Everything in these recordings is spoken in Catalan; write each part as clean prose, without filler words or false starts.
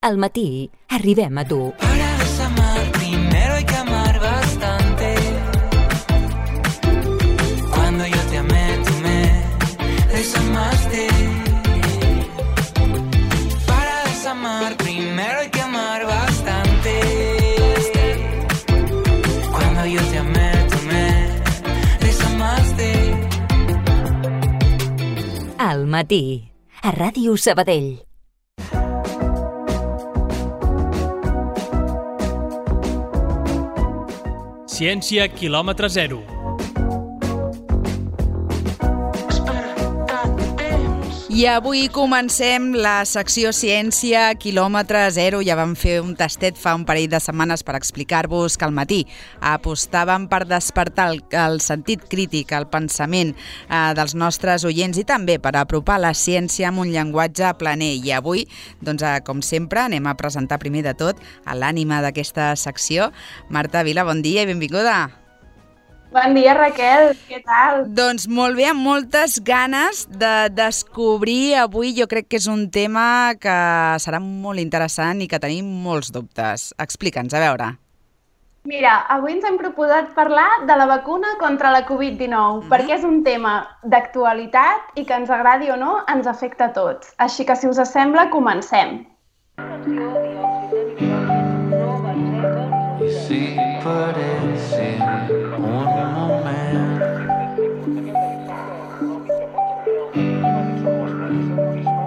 Al matí arribem a tu. Para desamar primero hay que amar bastante. Cuando yo te amé, tú me desamaste. Para desamar primero hay que amar bastante. Cuando yo te amé, tú me desamaste. Al matí, a Ràdio Sabadell. Ciència quilòmetre zero. I avui comencem la secció Ciència quilòmetre zero. Ja vam fer un tastet fa un parell de setmanes per explicar-vos que al matí apostàvem per despertar el sentit crític, el pensament dels nostres oients i també per apropar la ciència amb un llenguatge planer. I avui, doncs, com sempre, anem a presentar primer de tot a l'ànima d'aquesta secció. Marta Vila, bon dia i benvinguda. Bon dia, Raquel, què tal? Doncs molt bé, amb moltes ganes de descobrir avui. Jo crec que és un tema que serà molt interessant i que tenim molts dubtes. Explica'ns, a veure. Mira, avui ens hem proposat parlar de la vacuna contra la Covid-19, perquè és un tema d'actualitat i que ens agradi o no, ens afecta a tots. Així que, si us sembla, comencem. Sí, parece un moment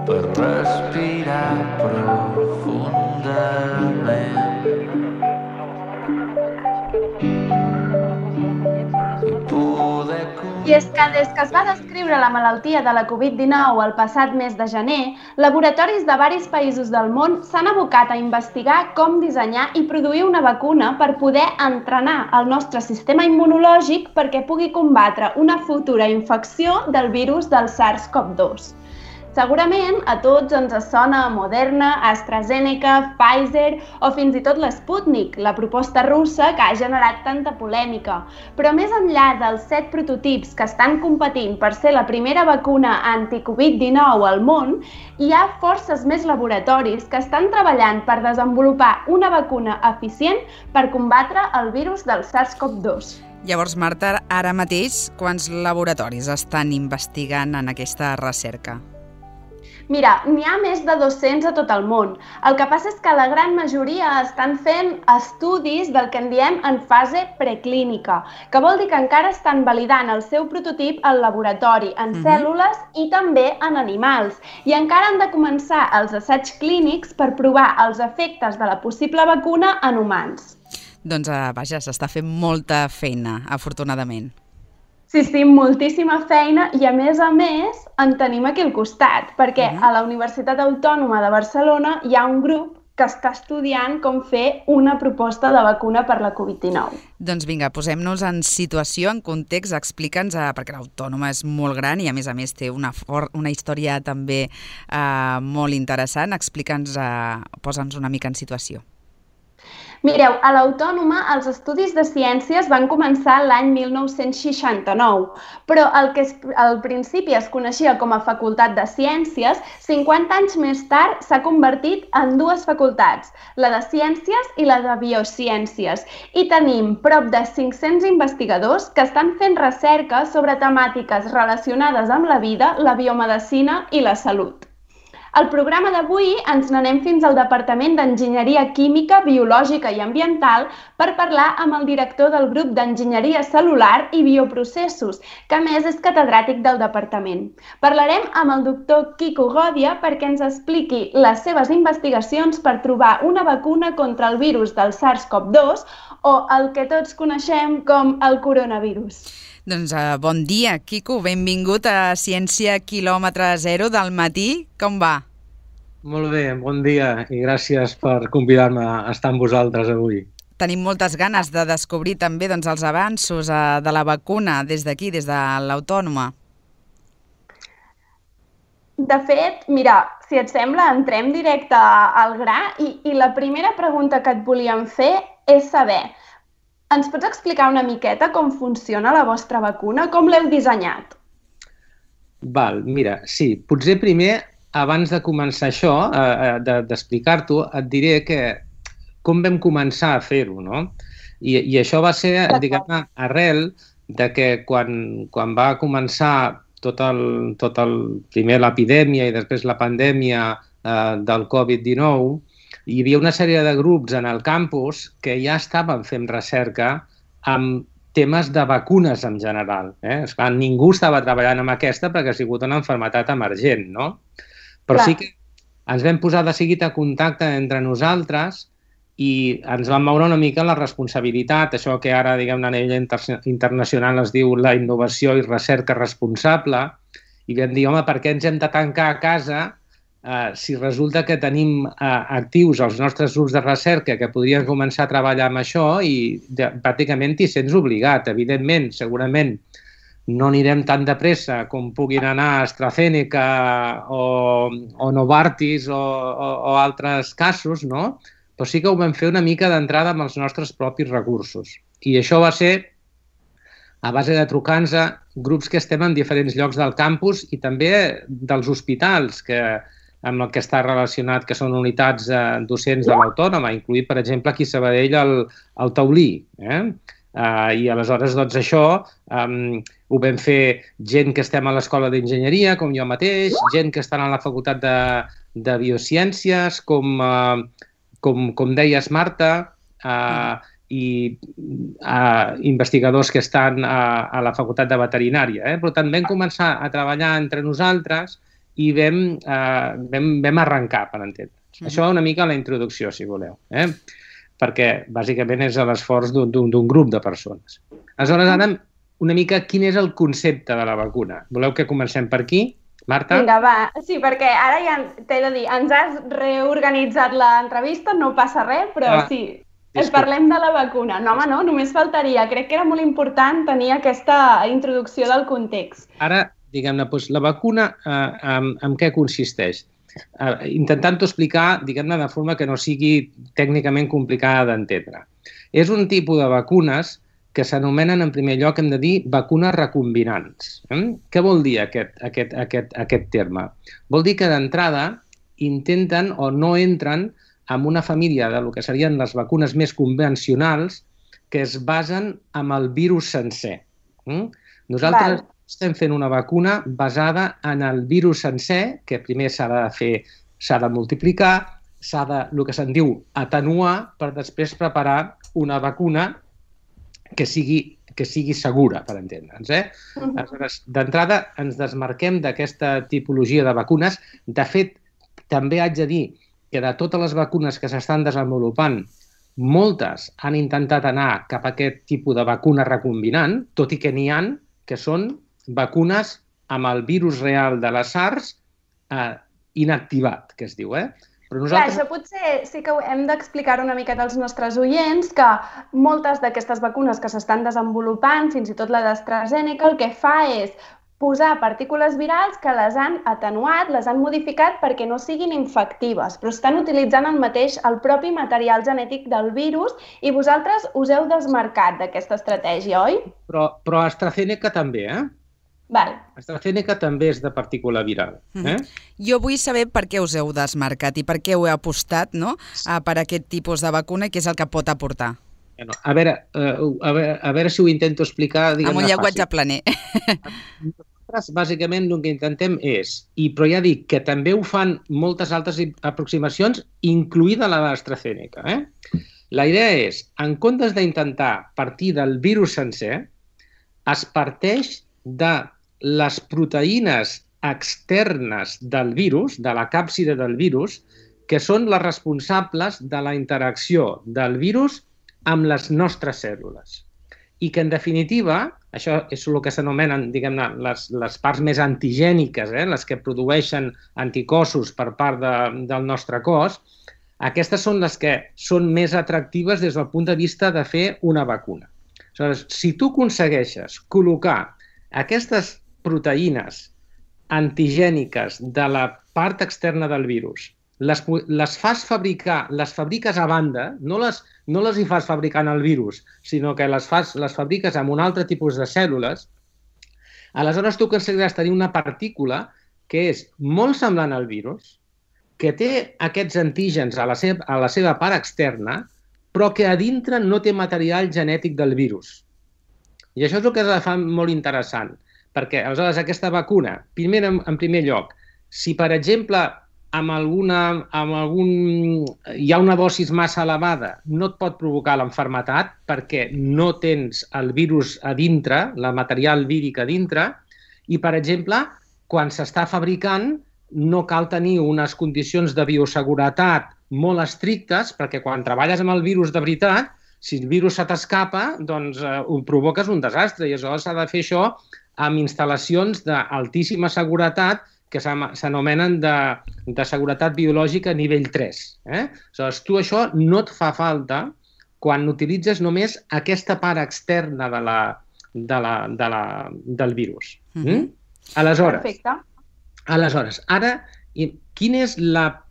per respirar profundament i poder... I és que des que es va descriure la malaltia de la Covid-19 el passat mes de gener, laboratoris de diversos països del món s'han abocat a investigar com dissenyar i produir una vacuna per poder entrenar el nostre sistema immunològic perquè pugui combatre una futura infecció del virus del SARS-CoV-2. Segurament a tots ens sona Moderna, AstraZeneca, Pfizer o fins i tot l'Sputnik, la proposta russa que ha generat tanta polèmica. Però més enllà dels 7 prototips que estan competint per ser la primera vacuna anti-Covid-19 al món, hi ha forces més laboratoris que estan treballant per desenvolupar una vacuna eficient per combatre el virus del SARS-CoV-2. Llavors, Marta, ara mateix, quants laboratoris estan investigant en aquesta recerca? Mira, n'hi ha més de 200 a tot el món. El que passa és que la gran majoria estan fent estudis del que en diem en fase preclínica, que vol dir que encara estan validant el seu prototip al laboratori, en cèl·lules i també en animals. I encara han de començar els assaigs clínics per provar els efectes de la possible vacuna en humans. Doncs, vaja, s'està fent molta feina, afortunadament. Sí, moltíssima feina i, a més, en tenim aquí al costat, perquè a la Universitat Autònoma de Barcelona hi ha un grup que està estudiant com fer una proposta de vacuna per la Covid-19. Doncs vinga, posem-nos en situació, en context, explica'ns, perquè l'Autònoma és molt gran i a més té una història també molt interessant. Explica'ns, posa'ns una mica en situació. Mireu, a l'Autònoma els estudis de ciències van començar l'any 1969, però el que al principi es coneixia com a Facultat de Ciències, 50 anys més tard s'ha convertit en 2 facultats, la de Ciències i la de Biociències, i tenim prop de 500 investigadors que estan fent recerca sobre temàtiques relacionades amb la vida, la biomedicina i la salut. Al programa d'avui ens n'anem fins al Departament d'Enginyeria Química, Biològica i Ambiental per parlar amb el director del grup d'Enginyeria Cel·lular i Bioprocessos, que a més és catedràtic del departament. Parlarem amb el doctor Quico Gòdia perquè ens expliqui les seves investigacions per trobar una vacuna contra el virus del SARS-CoV-2 o el que tots coneixem com el coronavirus. Doncs bon dia, Quico, benvingut a Ciència quilòmetre zero del matí. Com va? Molt bé, bon dia i gràcies per convidar-me a estar amb vosaltres avui. Tenim moltes ganes de descobrir també els avanços de la vacuna des d'aquí, des de l'Autònoma. De fet, mira, si et sembla, entrem directe al gra i la primera pregunta que et volíem fer és saber: ens pots explicar una miqueta com funciona la vostra vacuna? Com l'heu dissenyat? Val, mira, sí, potser primer abans de començar això, d'explicar-t'ho, et diré com vam començar a fer-ho, no? I això va ser, diguem-ne, arrel de que quan va començar primer l'epidèmia i després la pandèmia del Covid-19, hi havia una sèrie de grups en el campus que ja estaven fent recerca amb temes de vacunes en general. Esclar, ningú estava treballant amb aquesta perquè ha sigut una malaltia emergent, no? Però sí que ens vam posar de seguit a contacte entre nosaltres i ens vam moure una mica la responsabilitat, això que ara, diguem-ne, a nivell internacional es diu la innovació i recerca responsable, i vam dir, home, per què ens hem de tancar a casa si resulta que tenim actius els nostres grups de recerca que podrien començar a treballar amb això i pràcticament t'hi sents obligat. Evidentment, segurament no anirem tan de pressa com puguin anar AstraZeneca o Novartis o altres casos, no? Però sí que ho vam fer una mica d'entrada amb els nostres propis recursos. I això va ser a base de trucar-nos a grups que estem en diferents llocs del campus i també dels hospitals amb el que està relacionat, que són unitats docents de l'Autònoma, incluït, per exemple, aquí a Sabadell, el Taulí. I aleshores, doncs, això ho vam fer gent que estem a l'Escola d'Enginyeria, com jo mateix, gent que estan a la Facultat de Biociències, com deies, Marta, i investigadors que estan a la Facultat de Veterinària. Per tant, vam començar a treballar entre nosaltres i vam arrencar, per entendre'ns. Això una mica la introducció, si voleu, perquè bàsicament és l'esforç d'un grup de persones. Aleshores, ara, una mica, quin és el concepte de la vacuna? Voleu que comencem per aquí? Marta? Vinga, va. Sí, perquè ara ja t'he de dir, ens has reorganitzat l'entrevista, no passa res, però sí, parlem de la vacuna. No, home, no, només faltaria. Crec que era molt important tenir aquesta introducció del context. Ara, diguem-ne, la vacuna en què consisteix? Intentant-ho explicar, diguem-ne, de forma que no sigui tècnicament complicada d'entendre. És un tipus de vacunes que s'anomenen, en primer lloc, hem de dir, vacunes recombinants. Què vol dir aquest terme? Vol dir que d'entrada intenten o no entren en una família del que serien les vacunes més convencionals que es basen en el virus sencer. Nosaltres estem fent una vacuna basada en el virus sencer, que primer s'ha de multiplicar, s'ha de, el que se'n diu, atenuar per després preparar una vacuna que sigui segura, per entendre'ns. D'entrada, ens desmarquem d'aquesta tipologia de vacunes. De fet, també haig de dir que de totes les vacunes que s'estan desenvolupant, moltes han intentat anar cap a aquest tipus de vacuna recombinant, tot i que n'hi ha que són vacunes amb el virus real de la SARS inactivat, que es diu, Però nosaltres... Això potser sí que hem d'explicar una miqueta als nostres oients que moltes d'aquestes vacunes que s'estan desenvolupant, fins i tot la d'AstraZeneca, el que fa és posar partícules virals que les han atenuat, les han modificat perquè no siguin infectives, però estan utilitzant el propi material genètic del virus i vosaltres us heu desmarcat d'aquesta estratègia, oi? Però AstraZeneca també, Val. AstraZeneca també és de partícula viral. Jo vull saber per què us heu desmarcat i per què heu apostat per aquest tipus de vacuna i què és el que pot aportar. A veure si ho intento explicar, diguem-ne, amb un llenguatge planer. Nosaltres, bàsicament, el que intentem és, però ja dic que també ho fan moltes altres aproximacions, incloïda la d'AstraZeneca. La idea és, en comptes d'intentar partir del virus sencer, es parteix de les proteïnes externes del virus, de la càpside del virus, que són les responsables de la interacció del virus amb les nostres cèl·lules. I que, en definitiva, això és el que s'anomenen, diguem-ne, les parts més antigèniques, les que produeixen anticossos per part del nostre cos, aquestes són les que són més atractives des del punt de vista de fer una vacuna. Aleshores, si tu aconsegueixes col·locar aquestes proteïnes antigèniques de la part externa del virus, les fas fabricar, les fabriques a banda, no les hi fas fabricar en el virus, sinó que les fabriques amb un altre tipus de cèl·lules, aleshores tu aconseguiràs tenir una partícula que és molt semblant al virus, que té aquests antígens a la seva part externa, però que a dintre no té material genètic del virus. I això és el que la fa molt interessant, perquè aleshores aquesta vacuna, primer, en primer lloc, si per exemple hi ha una dosis massa elevada, no et pot provocar l'enfermetat perquè no tens el virus a dintre, el material víric a dintre, i per exemple, quan s'està fabricant no cal tenir unes condicions de bioseguretat molt estrictes perquè quan treballes amb el virus de veritat, si el virus se t'escapa, doncs ho provoques un desastre i aleshores s'ha de fer això amb instal·lacions d'altíssima seguretat que s'anomenen de seguretat biològica nivell 3. Aleshores, tu això no et fa falta quan utilitzes només aquesta part externa del virus. Aleshores, ara, quina és la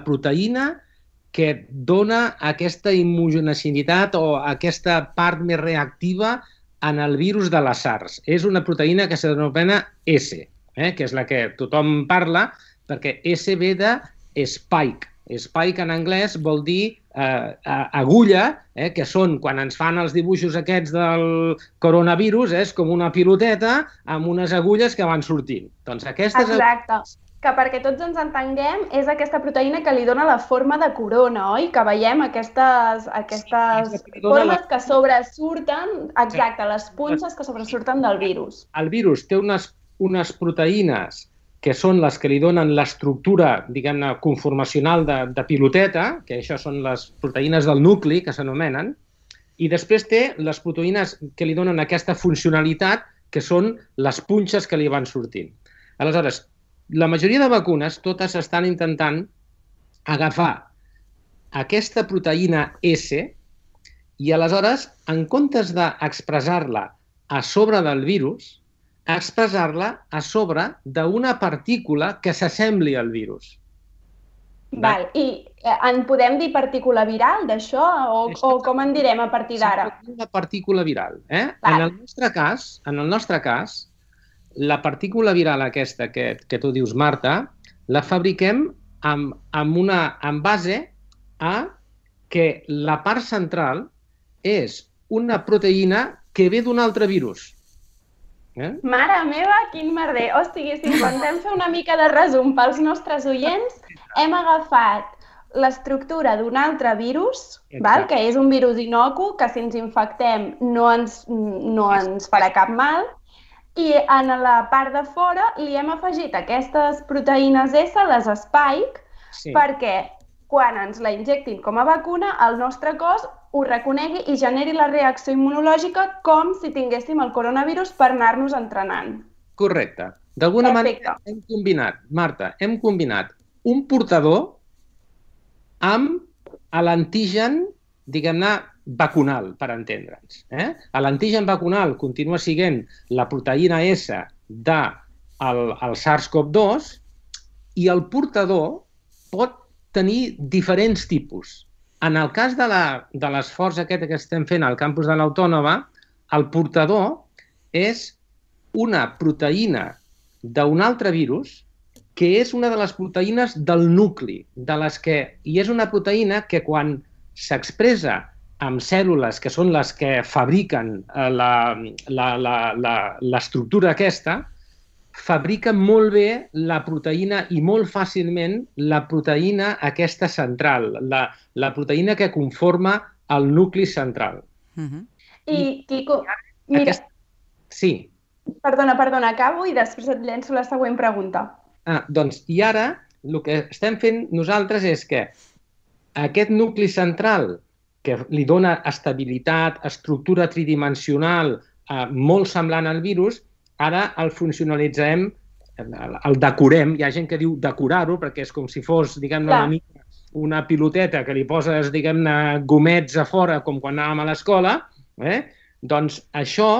proteïna que dona aquesta immunogenicitat o aquesta part més reactiva en el virus de la SARS? És una proteïna que s'anomena S, que és la que tothom parla, perquè S ve de spike. Spike en anglès vol dir agulla, que són, quan ens fan els dibuixos aquests del coronavirus, és com una piloteta amb unes agulles que van sortint. Doncs aquestes... Exacte. Que perquè tots ens entenguem, és aquesta proteïna que li dona la forma de corona, oi? Que veiem aquestes formes que sobresurten, exacte, les punxes que sobresurten del virus. El virus té unes proteïnes que són les que li donen l'estructura, diguem-ne, conformacional de piloteta, que això són les proteïnes del nucli, que s'anomenen, i després té les proteïnes que li donen aquesta funcionalitat, que són les punxes que li van sortint. Aleshores, la majoria de vacunes totes estan intentant agafar aquesta proteïna S i aleshores, en comptes d'expressar-la a sobre del virus, expressar-la a sobre d'una partícula que s'assembli al virus. Val. I en podem dir partícula viral d'això o com en direm a partir d'ara? Una partícula viral. En el nostre cas, la partícula viral aquesta que tu dius, Marta, la fabriquem en base a que la part central és una proteïna que ve d'un altre virus. Mare meva, quin merder! O sigui, si intentem fer una mica de resum pels nostres oients, hem agafat l'estructura d'un altre virus, que és un virus inocu, que si ens infectem no ens farà cap mal, i en la part de fora li hem afegit aquestes proteïnes S, les spike, perquè quan ens la injectin com a vacuna, el nostre cos ho reconegui i generi la reacció immunològica com si tinguéssim el coronavirus per anar-nos entrenant. Correcte. D'alguna manera hem combinat, Marta, un portador amb l'antigen, diguem-ne, vacunal, per entendre'ns. L'antigen vacunal continua sent la proteïna S del SARS-CoV-2 i el portador pot tenir diferents tipus. En el cas de l'esforç aquest que estem fent al campus de l'Autònoma, el portador és una proteïna d'un altre virus que és una de les proteïnes del nucli, i és una proteïna que quan s'expressa amb cèl·lules que són les que fabriquen l'estructura aquesta, fabrica molt bé la proteïna i molt fàcilment la proteïna aquesta central, la proteïna que conforma el nucli central. I, Quico, mira... Sí. Perdona, acabo i després et llenço la següent pregunta. Doncs, i ara, el que estem fent nosaltres és que aquest nucli central que li dona estabilitat, estructura tridimensional molt semblant al virus, ara el funcionalitzem, el decorem. Hi ha gent que diu decorar-ho perquè és com si fos, diguem-ne, una piloteta que li poses, diguem-ne, gomets a fora, com quan anàvem a l'escola. Doncs això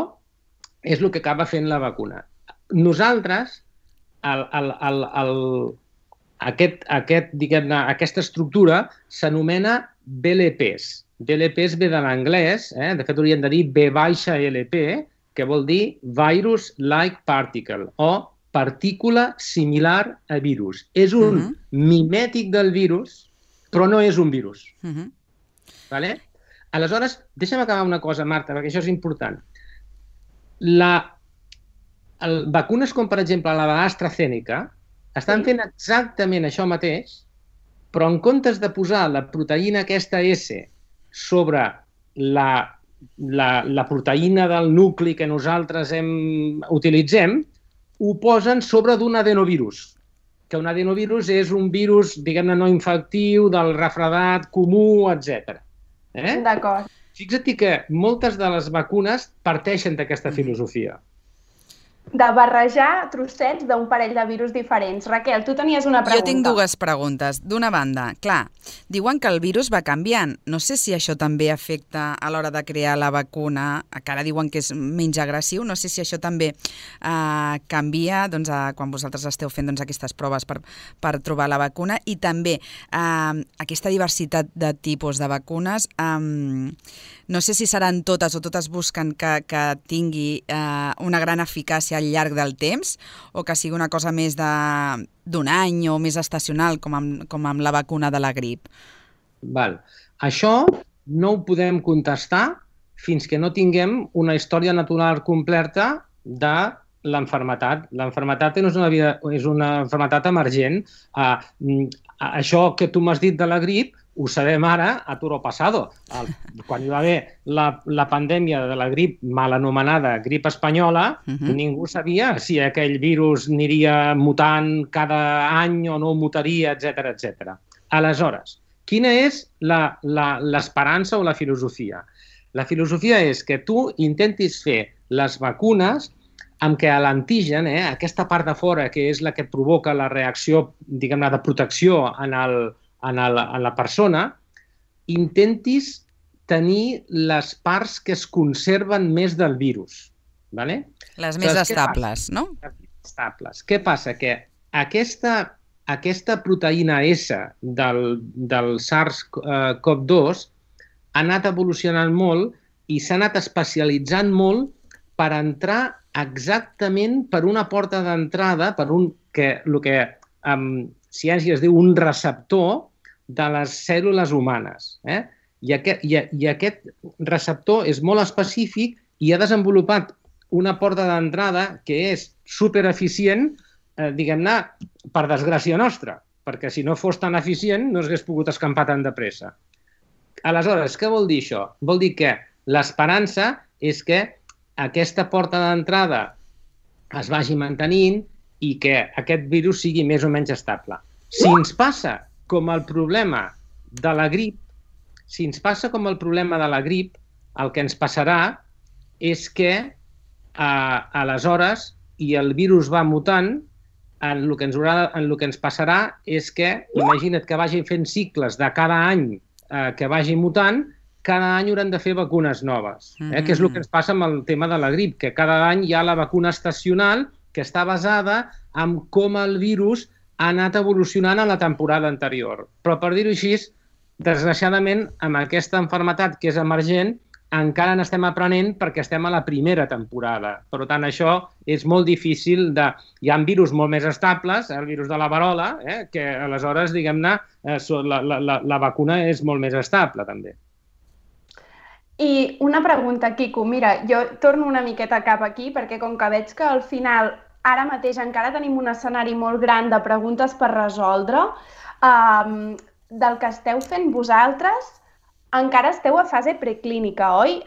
és el que acaba fent la vacuna. Nosaltres, aquesta estructura s'anomena VLPs. VLPs ve de l'anglès, de fet hauríem de dir V-LP, que vol dir Virus-like Particle o partícula similar a virus. És un mimètic del virus, però no és un virus. Vale? Aleshores, deixa'm acabar una cosa, Marta, perquè això és important. Vacunes com, per exemple, la de l'AstraZeneca estan fent exactament això mateix, però en comptes de posar la proteïna aquesta S sobre la proteïna del nucli que nosaltres utilitzem, ho posen sobre d'un adenovirus, que un adenovirus és un virus, diguem-ne, no infectiu, del refredat comú, etc. D'acord. Fixa't que moltes de les vacunes parteixen d'aquesta filosofia. De barrejar trossets d'un parell de virus diferents. Raquel, tu tenies una pregunta. Jo tinc dues preguntes. D'una banda, clar, diuen que el virus va canviant. No sé si això també afecta a l'hora de crear la vacuna, que ara diuen que és menys agressiu. No sé si això també canvia quan vosaltres esteu fent aquestes proves per trobar la vacuna. I també aquesta diversitat de tipus de vacunes, no sé si seran totes o totes busquen que tingui una gran eficàcia al llarg del temps o que sigui una cosa més d'un any o més estacional, com amb la vacuna de la grip. Val. Això no ho podem contestar fins que no tinguem una història natural completa de l'enfermetat. L'enfermetat és una enfermetat emergent. Això que tu m'has dit de la grip ho sabem ara a toro pasado. Quan hi va haver la pandèmia de la grip mal anomenada grip espanyola, ningú sabia si aquell virus aniria mutant cada any o no mutaria, etc. Aleshores, quina és l'esperança o la filosofia? La filosofia és que tu intentis fer les vacunes amb què l'antigen, aquesta part de fora, que és la que provoca la reacció, diguem-ne, de protecció en la persona, intentis tenir les parts que es conserven més del virus. Les més estables, no? Estables. Què passa? Que aquesta proteïna S del SARS-CoV-2 ha anat evolucionant molt i s'ha anat especialitzant molt per entrar exactament per una porta d'entrada, per el que en ciència es diu un receptor de les cèl·lules humanes. I aquest receptor és molt específic i ha desenvolupat una porta d'entrada que és supereficient, diguem-ne, per desgràcia nostra, perquè si no fos tan eficient no s'hagués pogut escampar tan de pressa. Aleshores, què vol dir això? Vol dir que l'esperança és que aquesta porta d'entrada es vagi mantenint i que aquest virus sigui més o menys estable. Si ens passa com el problema de la grip, el que ens passarà és que aleshores, i el virus va mutant, el que ens passarà és que, imagina't que vagin fent cicles de cada any que vagi mutant, cada any hauran de fer vacunes noves, que és el que ens passa amb el tema de la grip, que cada any hi ha la vacuna estacional que està basada en com el virus ha anat evolucionant a la temporada anterior. Però, per dir-ho així, desgraciadament, amb aquesta malaltia que és emergent, encara n'estem aprenent perquè estem a la primera temporada. Per tant, això és molt difícil de... Hi ha virus molt més estables, el virus de la verola, que aleshores, diguem-ne, la vacuna és molt més estable, també. I una pregunta, Quico. Mira, jo torno una miqueta cap aquí perquè com que veig que al final ara mateix encara tenim un escenari molt gran de preguntes per resoldre, del que esteu fent vosaltres, encara esteu a fase preclínica, oi?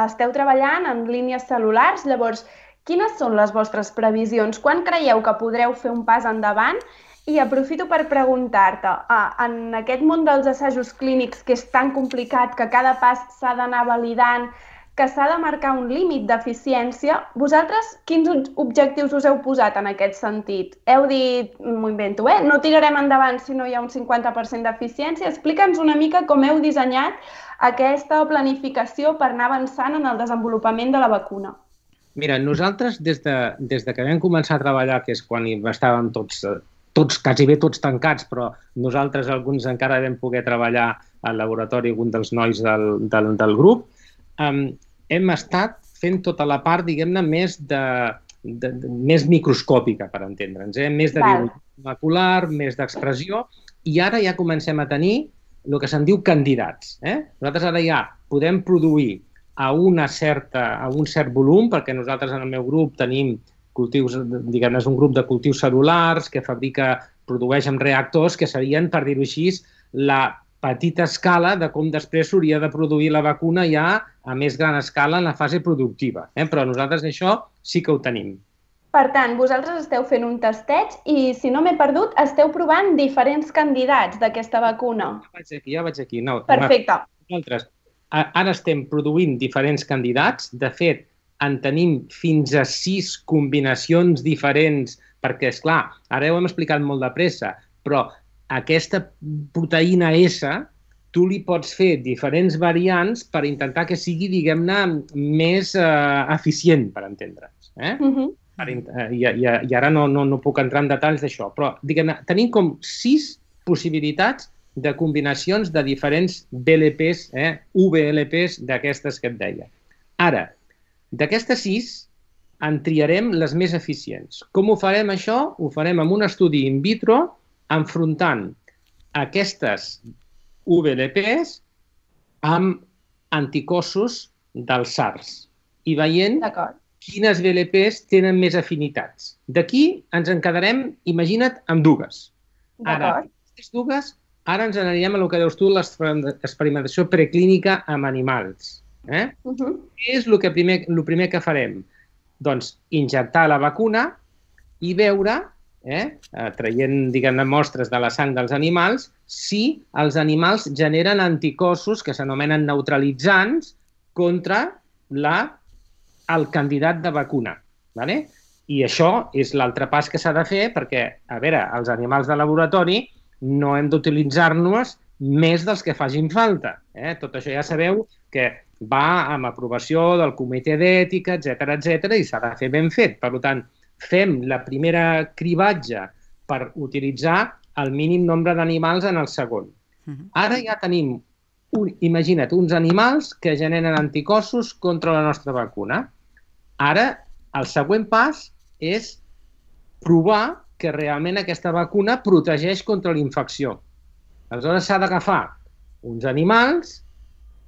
Esteu treballant en línies cel·lulars, llavors, quines són les vostres previsions? Quan creieu que podreu fer un pas endavant? I aprofito per preguntar-te, en aquest món dels assajos clínics que és tan complicat, que cada pas s'ha d'anar validant, que s'ha de marcar un límit d'eficiència, vosaltres quins objectius us heu posat en aquest sentit? Heu dit, m'ho invento, no tirarem endavant si no hi ha un 50% d'eficiència. Explica'ns una mica com heu dissenyat aquesta planificació per anar avançant en el desenvolupament de la vacuna. Mira, nosaltres des que vam començar a treballar, que és quan estàvem tots quasi bé tots tancats, però nosaltres alguns encara vam poder treballar al laboratori, algun dels nois del grup, hem estat fent tota la part, diguem-ne, més més microscòpica, per entendre'ns, més de biologia molecular, més d'expressió, i ara ja comencem a tenir el que se'n diu candidats. Nosaltres ara ja podem produir a un cert volum, perquè nosaltres en el meu grup tenim cultius, diguem-ne, és un grup de cultius cel·lulars que produeix amb reactors que serien, per dir-ho així, la petita escala de com després s'hauria de produir la vacuna ja a més gran escala en la fase productiva. Però nosaltres això sí que ho tenim. Per tant, vosaltres esteu fent un tasteig i, si no m'he perdut, esteu provant diferents candidats d'aquesta vacuna. Ja vaig aquí. No, perfecte. Nosaltres ara estem produint diferents candidats. De fet, en tenim fins a 6 combinacions diferents, perquè, esclar, ara ho hem explicat molt de pressa, però aquesta proteïna S, tu li pots fer diferents variants per intentar que sigui, diguem-ne, més eficient, per entendre'ns. I ara no puc entrar en detalls d'això, però, diguem-ne, tenim com 6 possibilitats de combinacions de diferents VLPs, VLPs d'aquestes que et deia. Ara, d'aquestes 6, en triarem les més eficients. Com ho farem, això? Ho farem amb un estudi in vitro, enfrontant aquestes VLPs amb anticossos del SARS i veient quines VLPs tenen més afinitats. D'aquí ens en quedarem, imagina't, amb dues. Ara, aquestes dues, ara ens anirem a el que deus tu, l'experimentació preclínica amb animals. Què és el primer que farem? Doncs injectar la vacuna i veure, traient, diguem-ne, mostres de la sang dels animals, si els animals generen anticossos que s'anomenen neutralitzants contra el candidat de vacuna. I això és l'altre pas que s'ha de fer perquè, a veure, els animals de laboratori no hem d'utilitzar-nos més dels que facin falta. Tot això ja sabeu que va amb aprovació del comitè d'ètica, etc., i s'ha de fer ben fet. Per tant, fem la primera cribatge per utilitzar el mínim nombre d'animals en el segon. Ara ja tenim, imagina't, uns animals que generen anticossos contra la nostra vacuna. Ara, el següent pas és provar que realment aquesta vacuna protegeix contra la infecció. Aleshores s'ha d'agafar uns animals,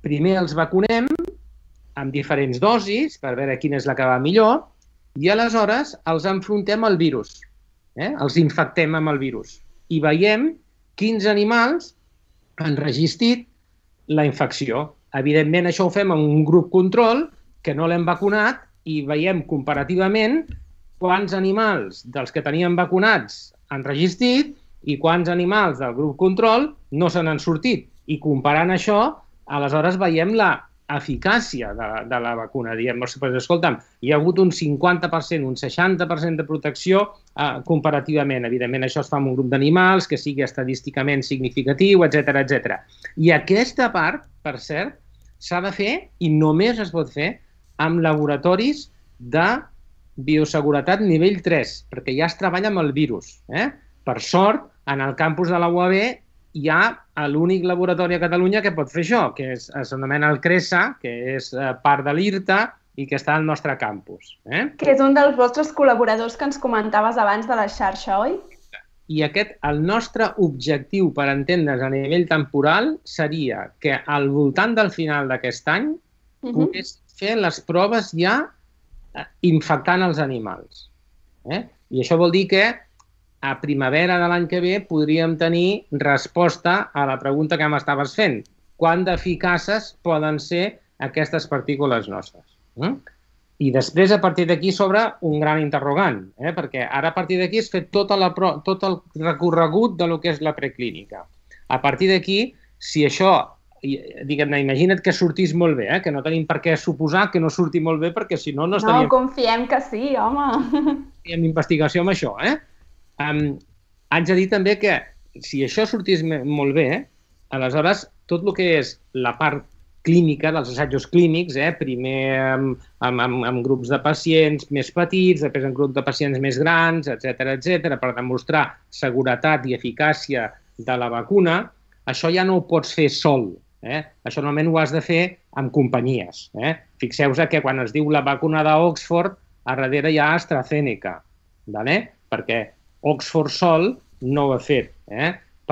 primer els vacunem amb diferents dosis per veure quina és la que va millor, i aleshores els enfrontem al virus, els infectem amb el virus i veiem quins animals han resistit la infecció. Evidentment, això ho fem amb un grup control que no l'hem vacunat i veiem comparativament quants animals dels que teníem vacunats han resistit i quants animals del grup control no se n'han sortit. I comparant això, aleshores veiem la eficàcia de la vacuna. Diem, escolta'm, hi ha hagut un 50%, un 60% de protecció comparativament. Evidentment, això es fa amb un grup d'animals, que sigui estadísticament significatiu, etc. I aquesta part, per cert, s'ha de fer i només es pot fer amb laboratoris de bioseguretat nivell 3, perquè ja es treballa amb el virus. Per sort, en el campus de la UAB hi ha l'únic laboratori a Catalunya que pot fer això, que s'anomena el CRESA, que és part de l'IRTA i que està al nostre campus. Que és un dels vostres col·laboradors que ens comentaves abans de la xarxa, oi? I el nostre objectiu, per entendre's a nivell temporal, seria que al voltant del final d'aquest any pogués fer les proves ja infectant els animals. I això vol dir que a primavera de l'any que ve podríem tenir resposta a la pregunta que m'estaves fent. Quant d'eficaces poden ser aquestes partícules nostres? I després, a partir d'aquí, s'obre un gran interrogant, perquè ara, a partir d'aquí, es fet tot el recorregut del que és la preclínica. A partir d'aquí, si això, diguem-ne, imagina't que sortís molt bé, que no tenim per què suposar que no surti molt bé, perquè si no, no estaríem... No, confiem que sí, home. Fem investigació amb això, haig de dir també que si això sortís molt bé, aleshores tot el que és la part clínica, dels assajos clínics, primer amb grups de pacients més petits, després en grups de pacients més grans, etc., per demostrar seguretat i eficàcia de la vacuna, això ja no ho pots fer sol. Això normalment ho has de fer amb companyies. Fixeu-vos que quan es diu la vacuna d'Oxford, a darrere hi ha AstraZeneca, ¿vale? Perquè Oxford sol no ho ha fet.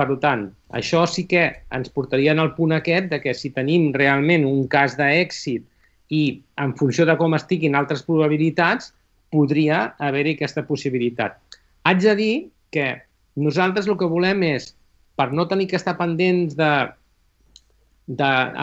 Per tant, això sí que ens portaria al punt aquest de que si tenim realment un cas d'èxit i en funció de com estiguin altres probabilitats, podria haver-hi aquesta possibilitat. Haig de dir que nosaltres el que volem és, per no tenir que estar pendents a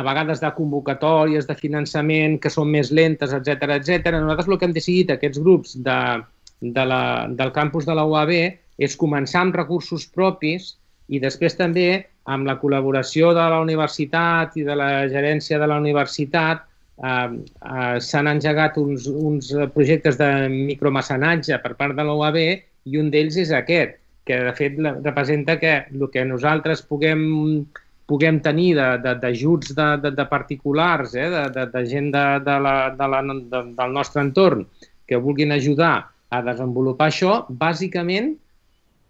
vegades de convocatòries, de finançament, que són més lentes, etc. Nosaltres el que hem decidit, aquests grups del campus de la UAB, és començar amb recursos propis i després també amb la col·laboració de la universitat i de la gerència de la universitat s'han engegat uns projectes de micromecenatge per part de la UAB i un d'ells és aquest, que de fet representa que el que nosaltres puguem tenir d'ajuts de particulars, de gent del nostre entorn que vulguin ajudar a desenvolupar això, bàsicament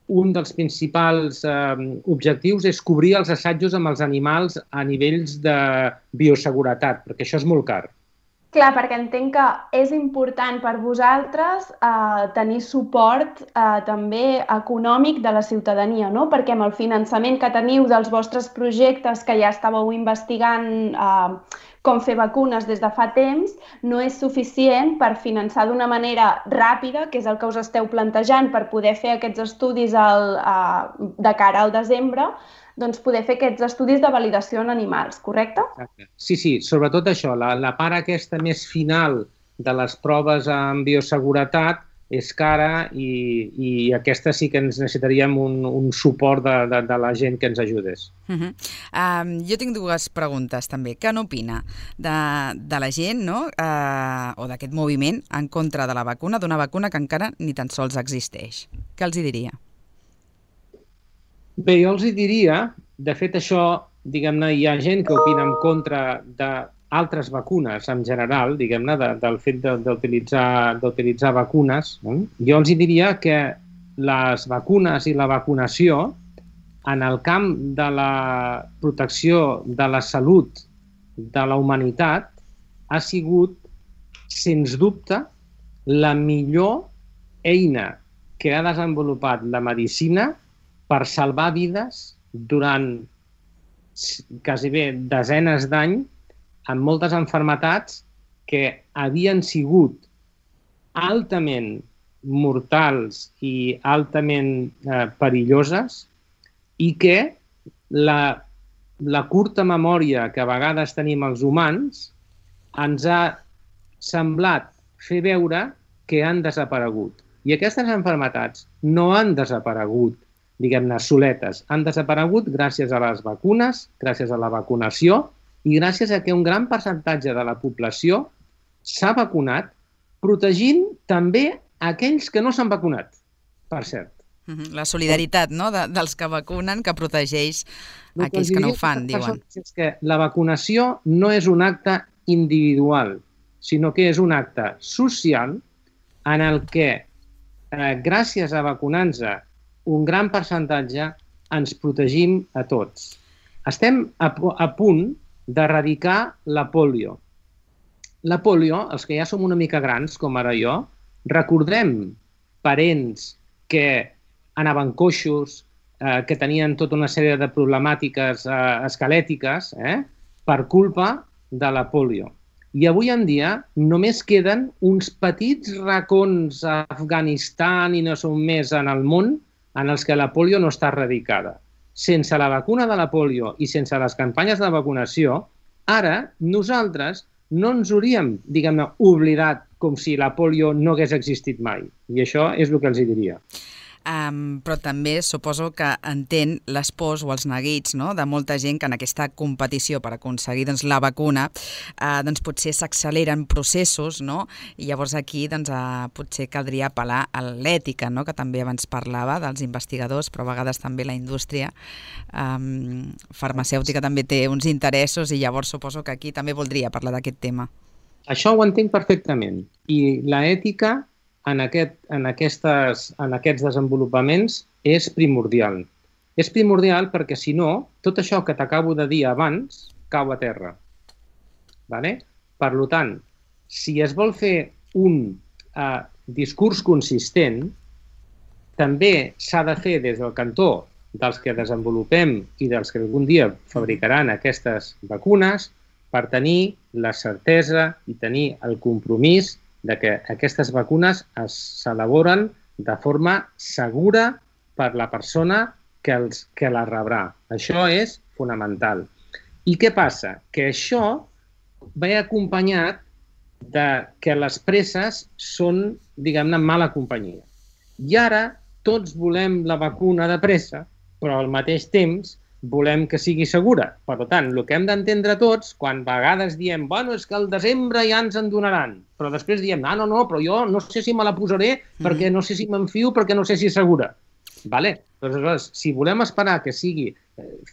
un dels principals objectius és cobrir els assajos amb els animals a nivells de bioseguretat, perquè això és molt car. Clar, perquè entenc que és important per vosaltres tenir suport també econòmic de la ciutadania, no? Perquè amb el finançament que teniu dels vostres projectes que ja estàveu investigant com fer vacunes des de fa temps, no és suficient per finançar d'una manera ràpida, que és el que us esteu plantejant per poder fer aquests estudis de cara al desembre, doncs poder fer aquests estudis de validació en animals, correcte? Exacte. Sí, sobretot això, la part aquesta més final de les proves en bioseguretat és cara i aquesta sí que ens necessitaríem un suport de la gent que ens ajudés. Jo tinc dues preguntes també. Què n'opina de la gent, no? O d'aquest moviment en contra de la vacuna, d'una vacuna que encara ni tan sols existeix? Què els hi diria? Bé, jo els diria, de fet això, diguem-ne, hi ha gent que opina en contra d'altres vacunes en general, diguem-ne, del fet d'utilitzar vacunes. Jo els diria que les vacunes i la vacunació en el camp de la protecció de la salut de la humanitat ha sigut, sens dubte, la millor eina que ha desenvolupat la medicina per salvar vides durant quasi bé desenes d'anys amb moltes malalties que havien sigut altament mortals i altament perilloses i que la curta memòria que a vegades tenim els humans ens ha semblat fer veure que han desaparegut. I aquestes malalties no han desaparegut, diguem-ne, soletes. Han desaparegut gràcies a les vacunes, gràcies a la vacunació i gràcies a que un gran percentatge de la població s'ha vacunat, protegint també aquells que no s'han vacunat, per cert. La solidaritat, no?, dels que vacunen, que protegeix aquells que no ho fan, diuen. És que la vacunació no és un acte individual, sinó que és un acte social en el que, gràcies a vacunar-nos, un gran percentatge ens protegim a tots. Estem a punt d'erradicar la pòlio. La pòlio, els que ja som una mica grans, com ara jo, recordem parents que anaven coixos, que tenien tota una sèrie de problemàtiques esquelètiques per culpa de la pòlio. I avui en dia només queden uns petits racons a Afganistan i no són més en el món en els que la pòlio no està erradicada. Sense la vacuna de la pòlio i sense les campanyes de vacunació, ara nosaltres no ens hauríem, diguem-ne, oblidat com si la pòlio no hagués existit mai. I això és el que els diria. Però també suposo que entén les pors o els neguits, no?, de molta gent que en aquesta competició per aconseguir la vacuna potser s'acceleren processos, no? I llavors aquí potser caldria apel·lar a l'ètica, no?, que també abans parlava dels investigadors, però a vegades també la indústria farmacèutica també té uns interessos i llavors suposo que aquí també voldria parlar d'aquest tema. Això ho entenc perfectament. I l'ètica en aquests desenvolupaments és primordial. És primordial perquè, si no, tot això que t'acabo de dir abans cau a terra. Per tant, si es vol fer un discurs consistent també s'ha de fer des del cantó dels que desenvolupem i dels que algun dia fabricaran aquestes vacunes per tenir la certesa i tenir el compromís de que aquestes vacunes s'elaboren de forma segura per la persona que la rebrà. Això és fonamental. I què passa? Que això ve acompanyat de que les presses són, diguem-ne, mala companyia. I ara tots volem la vacuna de pressa, però al mateix temps volem que sigui segura. Per tant, el que hem d'entendre tots, quan a vegades diem bueno, és que al desembre ja ens en donaran, però després diem no, però jo no sé si me la posaré perquè no sé si m'enfio, perquè no sé si és segura. Vale? Doncs, si volem esperar que sigui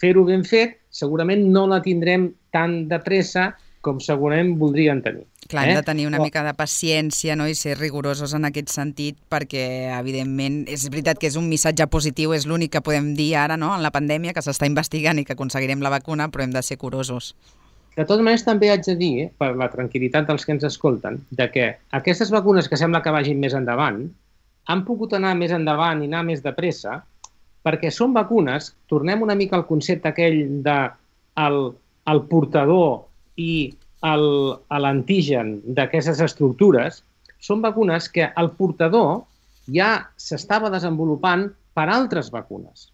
fer-ho ben fet, segurament no la tindrem tan de pressa com segurament voldrien tenir. Clar, hem de tenir una mica de paciència, no? I ser rigorosos en aquest sentit perquè, evidentment, és veritat que és un missatge positiu, és l'únic que podem dir ara, no?, en la pandèmia, que s'està investigant i que aconseguirem la vacuna, però hem de ser curosos. De totes maneres, també haig de dir, per la tranquil·litat dels que ens escolten, de que aquestes vacunes que sembla que vagin més endavant han pogut anar més endavant i anar més de pressa perquè són vacunes, tornem una mica al concepte aquell de el portador i l'antigen d'aquestes estructures, són vacunes que el portador ja s'estava desenvolupant per altres vacunes.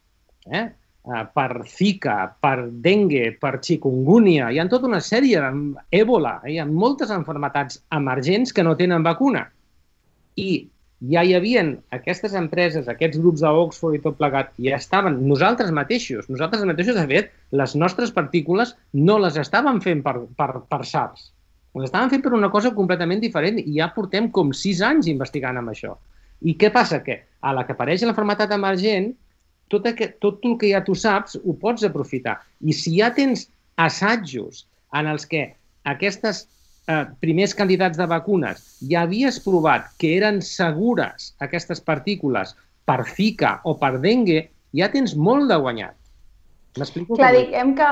Per Zika, per dengue, per chikungunya, hi ha tota una sèrie d'Ebola, hi ha moltes malalties emergents que no tenen vacuna. I ja hi havia aquestes empreses, aquests grups d'Oxford i tot plegat, ja estaven, nosaltres mateixos, de fet, les nostres partícules no les estàvem fent per SARS. Les estàvem fent per una cosa completament diferent i ja portem com 6 anys investigant amb això. I què passa? Que a la que apareix la malaltia emergent, tot el que ja tu saps ho pots aprofitar. I si ja tens assajos en els que aquestes primers candidats de vacunes ja havies provat que eren segures aquestes partícules per Zika o per dengue, ja tens molt de guanyat. M'explico? Clar, diguem que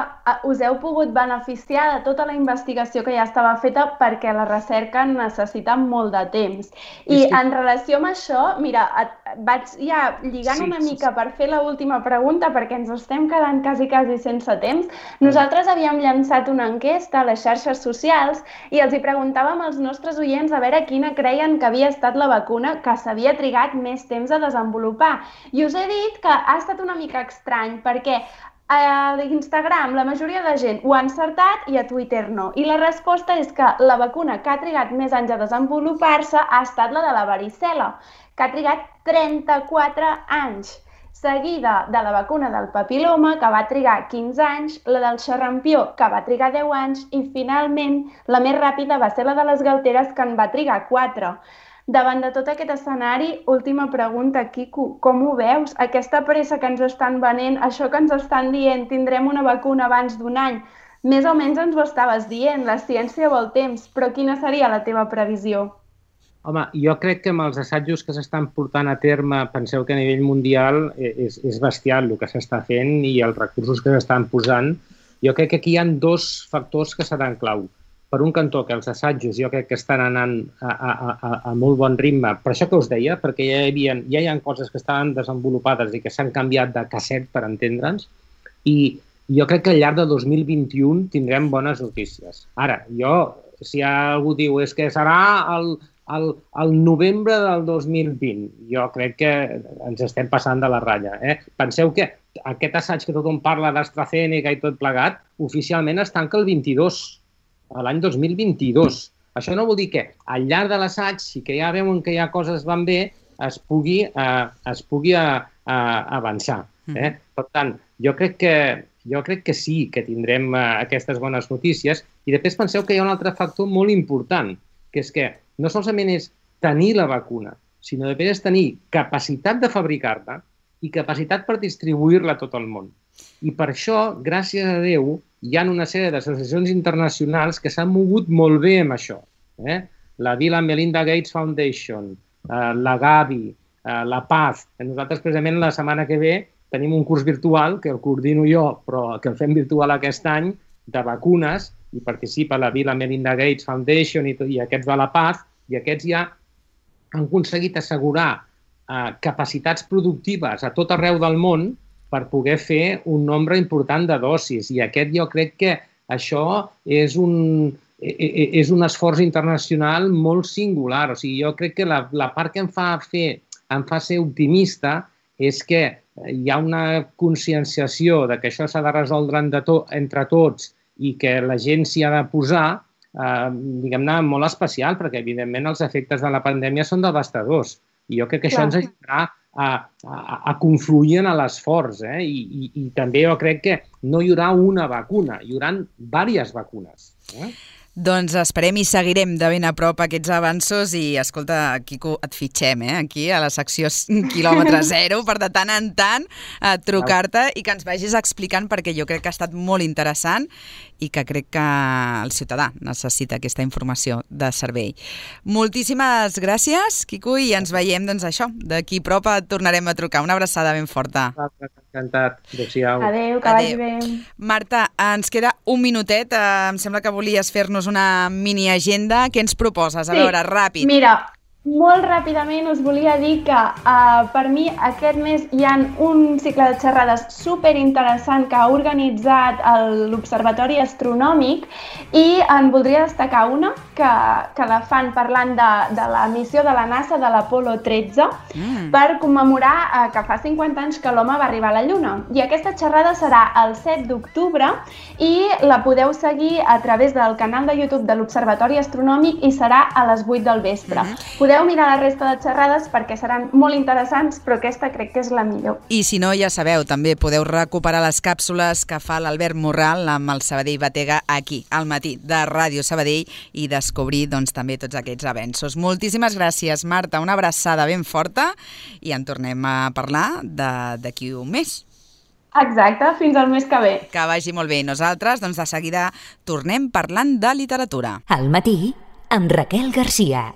us heu pogut beneficiar de tota la investigació que ja estava feta perquè la recerca necessita molt de temps. I en relació amb això, mira, vaig ja lligant una mica per fer l'última pregunta perquè ens estem quedant quasi sense temps. Nosaltres havíem llançat una enquesta a les xarxes socials i els hi preguntàvem als nostres oients a veure quina creien que havia estat la vacuna que s'havia trigat més temps a desenvolupar. I us he dit que ha estat una mica estrany perquè a Instagram la majoria de gent ho ha encertat i a Twitter no. I la resposta és que la vacuna que ha trigat més anys a desenvolupar-se ha estat la de la varicel·la, que ha trigat 34 anys, seguida de la vacuna del papiloma, que va trigar 15 anys, la del xarrampió, que va trigar 10 anys, i finalment la més ràpida va ser la de les galteres, que en va trigar 4. Davant de tot aquest escenari, última pregunta, Quico, com ho veus? Aquesta pressa que ens estan venent, això que ens estan dient, tindrem una vacuna abans d'un any, més o menys ens ho estaves dient, la ciència vol temps, però quina seria la teva previsió? Home, jo crec que amb els assajos que s'estan portant a terme, penseu que a nivell mundial és bestial el que s'està fent i els recursos que s'estan posant. Jo crec que aquí hi ha 2 factors que seran clau. Per un cantó, que els assajos jo crec que estan anant a molt bon ritme, per això que us deia, perquè ja hi ha coses que estaven desenvolupades i que s'han canviat de casset, per entendre'ns, i jo crec que al llarg de 2021 tindrem bones notícies. Ara, si algú diu és que serà el novembre del 2020, jo crec que ens estem passant de la ratlla. Penseu que aquest assaig que tothom parla d'AstraZeneca i tot plegat, oficialment es tanca el 22, a l'any 2022. Això no vol dir que al llarg de l'assaig, si que ja veuen que ja coses van bé, es pugui avançar. Per tant, jo crec que sí que tindrem aquestes bones notícies. I després penseu que hi ha un altre factor molt important, que és que no solament és tenir la vacuna, sinó després és tenir capacitat de fabricar-la i capacitat per distribuir-la a tot el món. I per això, gràcies a Déu, hi ha una sèrie d'associacions internacionals que s'han mogut molt bé amb això. La Bill and Melinda Gates Foundation, la Gavi, la Paz. Nosaltres, precisament, la setmana que ve tenim un curs virtual, que el coordino jo, però que el fem virtual aquest any, de vacunes, i participa la Bill and Melinda Gates Foundation i aquests de la Paz, i aquests ja han aconseguit assegurar capacitats productives a tot arreu del món per poder fer un nombre important de dosis. I aquest jo crec que això és un esforç internacional molt singular. O sigui, jo crec que la part que em fa ser optimista és que hi ha una conscienciació de que això s'ha de resoldre entre tots i que la gent s'hi ha de posar, diguem-ne, molt especial, perquè, evidentment, els efectes de la pandèmia són devastadors. I jo crec que això ens ajudarà a confluir en l'esforç. I també jo crec que no hi haurà una vacuna, hi haurà diverses vacunes. Doncs esperem i seguirem de ben a prop aquests avanços i, escolta, Quico, et fitxem, aquí a la secció quilòmetre zero, per de tant en tant trucar-te i que ens vagis explicant, perquè jo crec que ha estat molt interessant i que crec que el ciutadà necessita aquesta informació de servei. Moltíssimes gràcies, Quico, i ens veiem, doncs això, d'aquí a prop et tornarem a trucar. Una abraçada ben forta. Encantat. Adéu-siau. Adéu, que vagi bé. Marta, ens queda un minutet. Em sembla que volies fer-nos una mini-agenda. Què ens proposes? A veure, ràpid. Mira, molt ràpidament us volia dir que per mi aquest mes hi ha un cicle de xerrades superinteressant que ha organitzat l'Observatori Astronòmic i en voldria destacar una que la fan parlant de la missió de la NASA de l'Apolo 13 per commemorar que fa 50 anys que l'home va arribar a la Lluna. I aquesta xerrada serà el 7 d'octubre i la podeu seguir a través del canal de YouTube de l'Observatori Astronòmic i serà a les 8 del vespre. Podeu mirar la resta de xerrades perquè seran molt interessants, però aquesta crec que és la millor. I si no, ja sabeu, també podeu recuperar les càpsules que fa l'Albert Morral amb el Sabadell Batega aquí, al matí de Ràdio Sabadell, i descobrir doncs, també tots aquests avenços. Moltíssimes gràcies, Marta, una abraçada ben forta i en tornem a parlar d'aquí un mes. Exacte, fins al mes que ve. Que vagi molt bé. Nosaltres, doncs, de seguida tornem parlant de literatura. Al matí, amb Raquel Garcia.